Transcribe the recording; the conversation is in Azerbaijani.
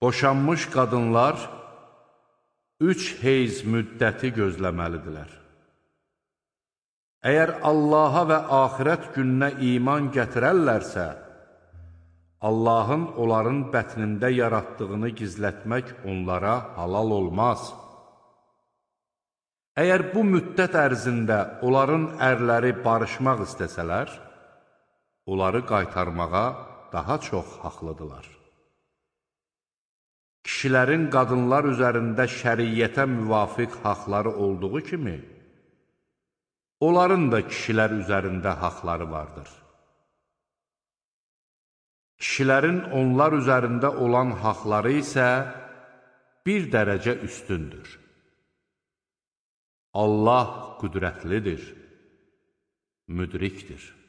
Boşanmış qadınlar 3 heyz müddəti gözləməlidirlər. Əgər Allaha və axirət gününə iman gətirərlərsə, Allahın onların bətnində yaratdığını gizlətmək onlara halal olmaz. Əgər bu müddət ərzində onların ərləri barışmaq istəsələr, onları qaytarmağa daha çox haqlıdırlar. Kişilərin qadınlar üzərində şəriyyətə müvafiq haqları olduğu kimi, onların da kişilər üzərində haqları vardır. Kişilərin onlar üzərində olan haqları isə bir dərəcə üstündür. Allah qüdrətlidir, müdrikdir.